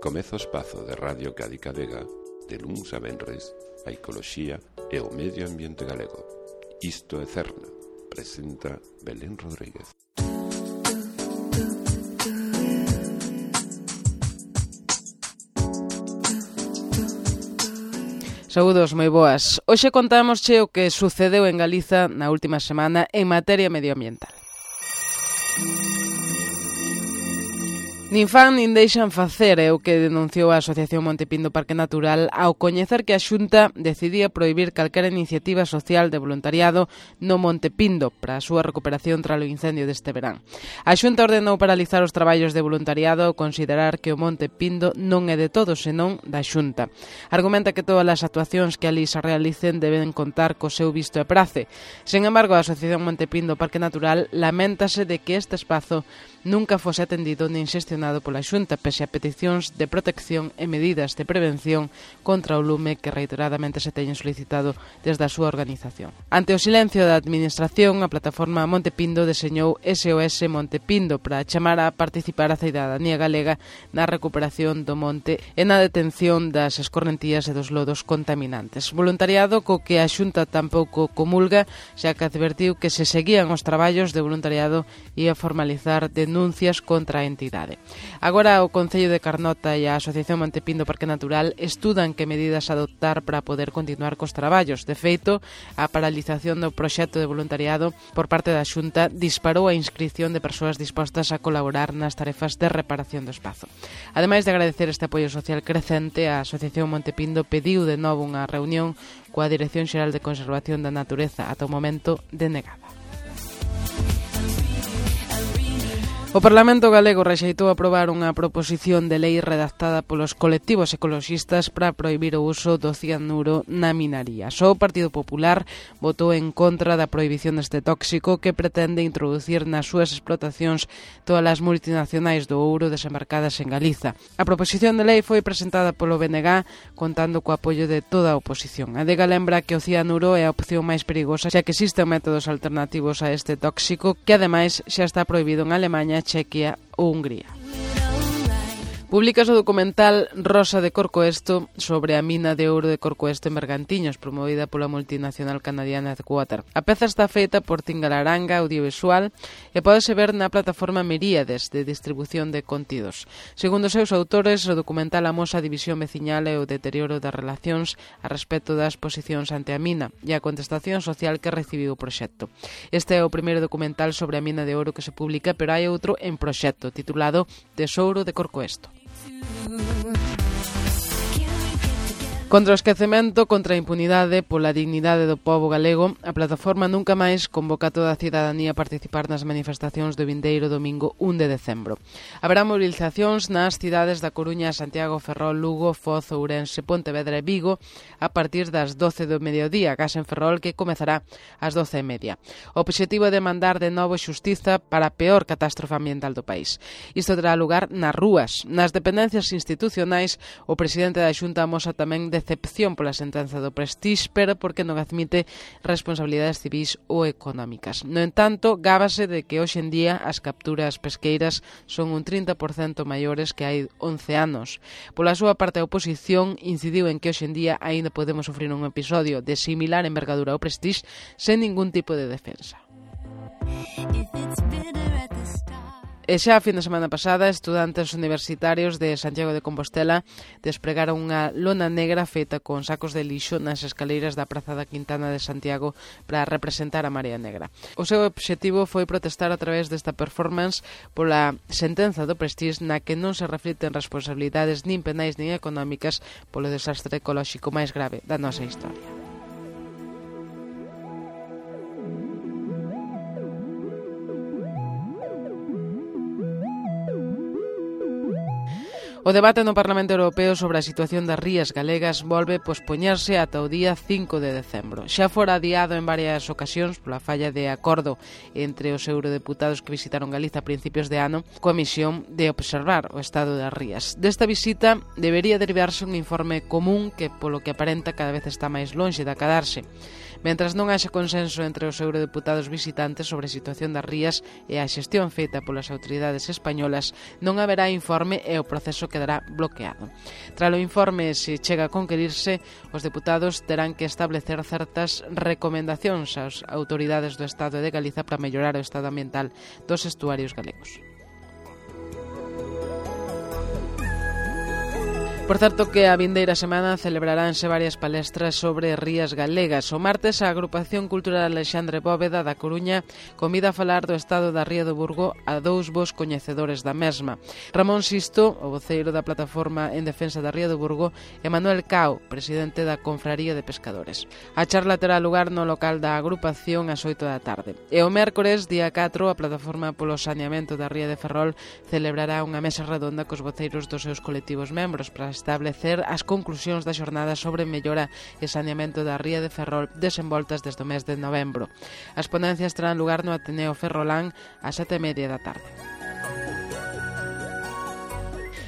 Comeza o espazo de Radio Cádica Vega de luns a venres, a ecoloxía e o medio ambiente galego. Isto é Cerna, presenta Belén Rodríguez. Saúdos, moi boas. Hoxe contámosche o que sucedeu en Galiza na última semana en materia medioambiental. Nin fan nin deixan facer é o que denunciou a Asociación Monte Pindo Parque Natural ao coñecer que a Xunta decidía prohibir calquera iniciativa social de voluntariado no Monte Pindo para a súa recuperación tras o incendio deste verán. A Xunta ordenou paralizar os traballos de voluntariado ao considerar que o Monte Pindo non é de todos, senón da Xunta. Argumenta que todas as actuacións que ali se realicen deben contar co seu visto e prace. Sen embargo, a Asociación Monte Pindo Parque Natural laméntase de que este espazo nunca fose atendido nin xestionado pola Xunta, pese a peticións de protección e medidas de prevención contra o lume que reiteradamente se teñen solicitado desde a súa organización. Ante o silencio da Administración, a plataforma Monte Pindo deseñou SOS Monte Pindo para chamar a participar a cidadanía galega na recuperación do monte e na detención das escorrentías e dos lodos contaminantes. Voluntariado co que a Xunta tampouco comulga, xa que advertiu que se seguían os traballos de voluntariado e a formalizar denuncias contra a entidade. Agora o Concello de Carnota e a Asociación Monte Pindo Parque Natural estudan que medidas adoptar para poder continuar cos traballos. De feito, a paralización do proxecto de voluntariado por parte da Xunta disparou a inscripción de persoas dispostas a colaborar nas tarefas de reparación do espazo. Ademais de agradecer este apoio social crecente, a Asociación Monte Pindo pediu de novo unha reunión coa Dirección Xeral de Conservación da Natureza, ata o momento denegada. O Parlamento galego rexeitou aprobar unha proposición de lei redactada polos colectivos ecoloxistas para prohibir o uso do cianuro na minaría. Só o Partido Popular votou en contra da prohibición deste tóxico que pretende introducir nas súas explotacións todas as multinacionais do ouro desembarcadas en Galiza. A proposición de lei foi presentada polo BNG contando co apoio de toda a oposición. A DEGA lembra que o cianuro é a opción máis perigosa, xa que existen métodos alternativos a este tóxico que ademais xa está prohibido en Alemaña, Chequia ou Hungría. Publicas o documental Rosa de Corcoesto sobre a mina de ouro de Corcoesto en Bergantiños, promovida pola multinacional canadiana Headwater. A peza está feita por Tingalaranga Audiovisual e pódese ver na plataforma Miríades de distribución de contidos. Segundo os seus autores, o documental amosa a división veciñal e o deterioro das relacións a respecto das posicións ante a mina e a contestación social que recibiu o proxecto. Este é o primeiro documental sobre a mina de ouro que se publica, pero hai outro en proxecto, titulado Tesouro de Corcoesto. Contra o esquecemento, contra a impunidade, pola dignidade do pobo galego, a plataforma Nunca Máis convoca a toda a cidadanía a participar nas manifestacións do vindeiro domingo 1 de decembro. Haberá movilizacións nas cidades da Coruña, Santiago, Ferrol, Lugo, Foz, Ourense, Pontevedra e Vigo a partir das 12 do mediodía, gas en Ferrol que comezará ás 12:30. O obxectivo é demandar de novo xustiza para a peor catástrofe ambiental do país. Isto terá lugar nas rúas. Nas dependencias institucionais, o presidente da Xunta amosa tamén decepción pola sentenza do Prestige, pero porque non admite responsabilidades civís ou económicas. No entanto, gábase de que hoxe en día as capturas pesqueiras son un 30% maiores que hai 11 anos. Pola súa parte, a oposición incidiu en que hoxe en día aínda podemos sufrir un episodio de similar envergadura ao Prestige sen ningún tipo de defensa. E xa a fin de semana pasada, estudantes universitarios de Santiago de Compostela despregaron unha lona negra feita con sacos de lixo nas escaleiras da Praza da Quintana de Santiago para representar a Marea Negra. O seu obxectivo foi protestar a través desta performance pola sentenza do Prestige na que non se reflicten responsabilidades nin penais nin económicas polo desastre ecolóxico máis grave da nosa historia. O debate no Parlamento Europeo sobre a situación das rías galegas volve pospoñerse ata o día 5 de decembro. Xa fora adiado en varias ocasións pola falla de acordo entre os eurodeputados que visitaron Galiza a principios de ano coa misión de observar o estado das rías. Desta visita debería derivarse un informe común que, polo que aparenta, cada vez está máis lonxe de acadarse. Mentras non haxa consenso entre os eurodeputados visitantes sobre a situación das rías e a xestión feita polas autoridades españolas, non haberá informe e o proceso quedará bloqueado. Tras o informe, se chega a conquerirse, os deputados terán que establecer certas recomendacións ás autoridades do Estado de Galiza para mellorar o estado ambiental dos estuarios galegos. Por certo que a vindeira semana celebraránse varias palestras sobre rías galegas. O martes a Agrupación Cultural Alexandre Bóveda da Coruña convida a falar do estado da Ría do Burgo a dous bos coñecedores da mesma. Ramón Sisto, o voceiro da Plataforma en Defensa da Ría do Burgo, e Manuel Cao, presidente da Confraría de Pescadores. A charla terá lugar no local da agrupación ás 8 da tarde. E o mércores, día 4, a Plataforma polo Saneamento da Ría de Ferrol celebrará unha mesa redonda cos voceiros dos seus colectivos membros para establecer as conclusións da xornada sobre mellora e saneamento da Ría de Ferrol desenvoltas desde o mes de novembro. As ponencias terán lugar no Ateneo Ferrolán ás 7:30 da tarde.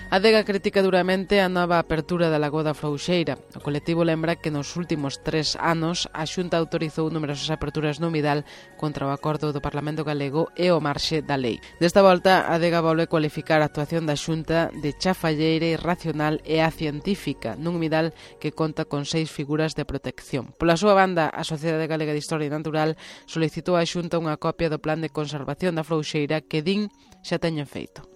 A Adega critica duramente a nova apertura da Lagoa da Frouxeira. O colectivo lembra que nos últimos 3 anos a Xunta autorizou numerosas aperturas no humidal contra o acordo do Parlamento Galego e o marxe da lei. Desta volta, a Adega volve cualificar a actuación da Xunta de chafalleira, irracional e acientífica nun humidal que conta con 6 figuras de protección. Pola súa banda, a Sociedade Galega de Historia Natural solicitou á Xunta unha copia do Plan de Conservación da Frouxeira que din xa teñen feito.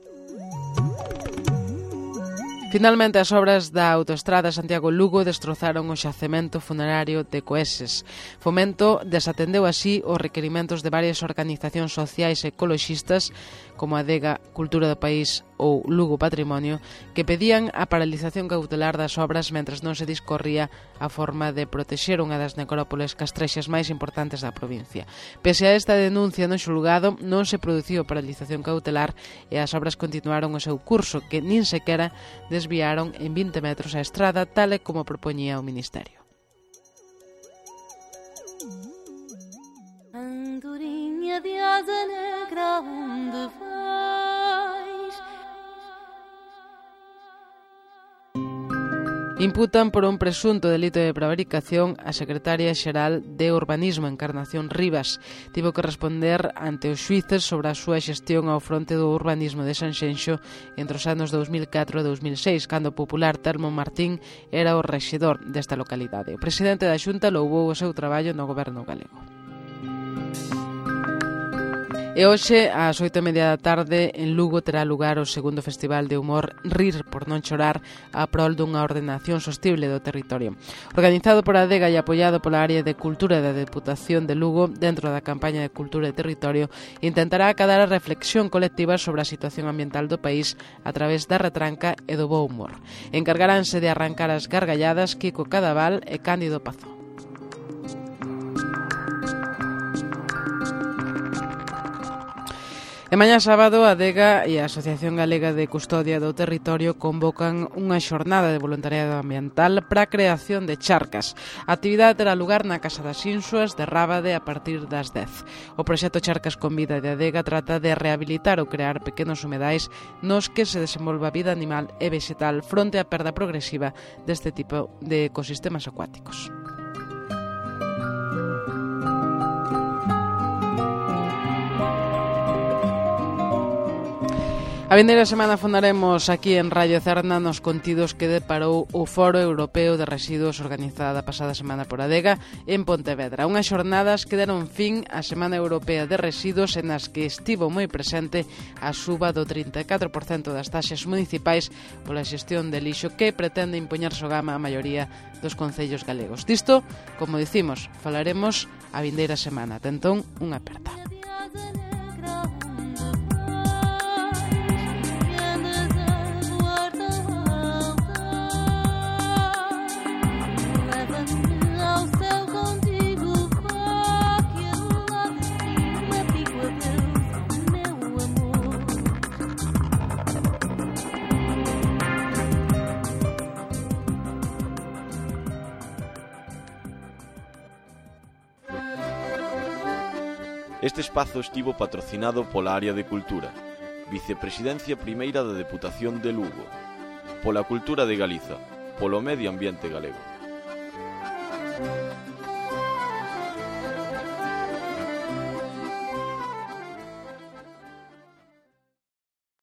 Finalmente, as obras da autoestrada Santiago-Lugo destrozaron o xacemento funerario de Coeses. Fomento desatendeu así os requerimentos de varias organizacións sociais e ecoloxistas, como a Adega Cultura do País ou Lugo Patrimonio, que pedían a paralización cautelar das obras mentres non se discorría a forma de protexer unha das necrópoles castrexas máis importantes da provincia. Pese a esta denuncia no xulgado, non se produciu paralización cautelar e as obras continuaron o seu curso, que nin sequera desviaron en 20 metros a estrada, tal e como propoñía o Ministerio. Andorinha de asa negra, onde vais? Imputan por un presunto delito de prevaricación a secretaria xeral de Urbanismo, Encarnación Rivas. Tivo que responder ante os xuíces sobre a súa xestión ao fronte do urbanismo de Sanxenxo entre os anos 2004 e 2006, cando o popular Telmo Martín era o rexedor desta localidade. O presidente da Xunta louvou o seu traballo no goberno galego. E hoxe, ás 8:30 da tarde, en Lugo terá lugar o segundo Festival de Humor Rir por non chorar a prol dunha ordenación sostible do territorio. Organizado por a Adega e apoiado pola área de Cultura da Deputación de Lugo, dentro da campaña de Cultura e Territorio, intentará acadar a reflexión colectiva sobre a situación ambiental do país a través da retranca e do bo humor. Encargaránse de arrancar as gargalladas Kiko Cadaval e Cándido Pazó. E mañá sábado, a Adega e a Asociación Galega de Custodia do Territorio convocan unha xornada de voluntariado ambiental para a creación de charcas. A actividade terá lugar na Casa das Insuas de Rábade a partir das 10. O proxecto Charcas con Vida de Adega trata de rehabilitar ou crear pequenos humedais nos que se desenvolva vida animal e vegetal fronte á perda progresiva deste tipo de ecosistemas acuáticos. A vindeira semana fondaremos aquí en Radio Cerna nos contidos que deparou o Foro Europeo de Residuos organizada a pasada semana por Adega en Pontevedra. Unhas xornadas que deron fin á Semana Europea de Residuos en as que estivo moi presente a suba do 34% das taxas municipais pola xestión de lixo que pretende impoñer sogama a maioría dos concellos galegos. Disto, como dicimos, falaremos a vindeira semana. Tentón, unha aperta. Este espazo estivo patrocinado pola Área de Cultura, Vicepresidencia Primeira da Deputación de Lugo, pola Cultura de Galiza, polo Medio Ambiente Galego.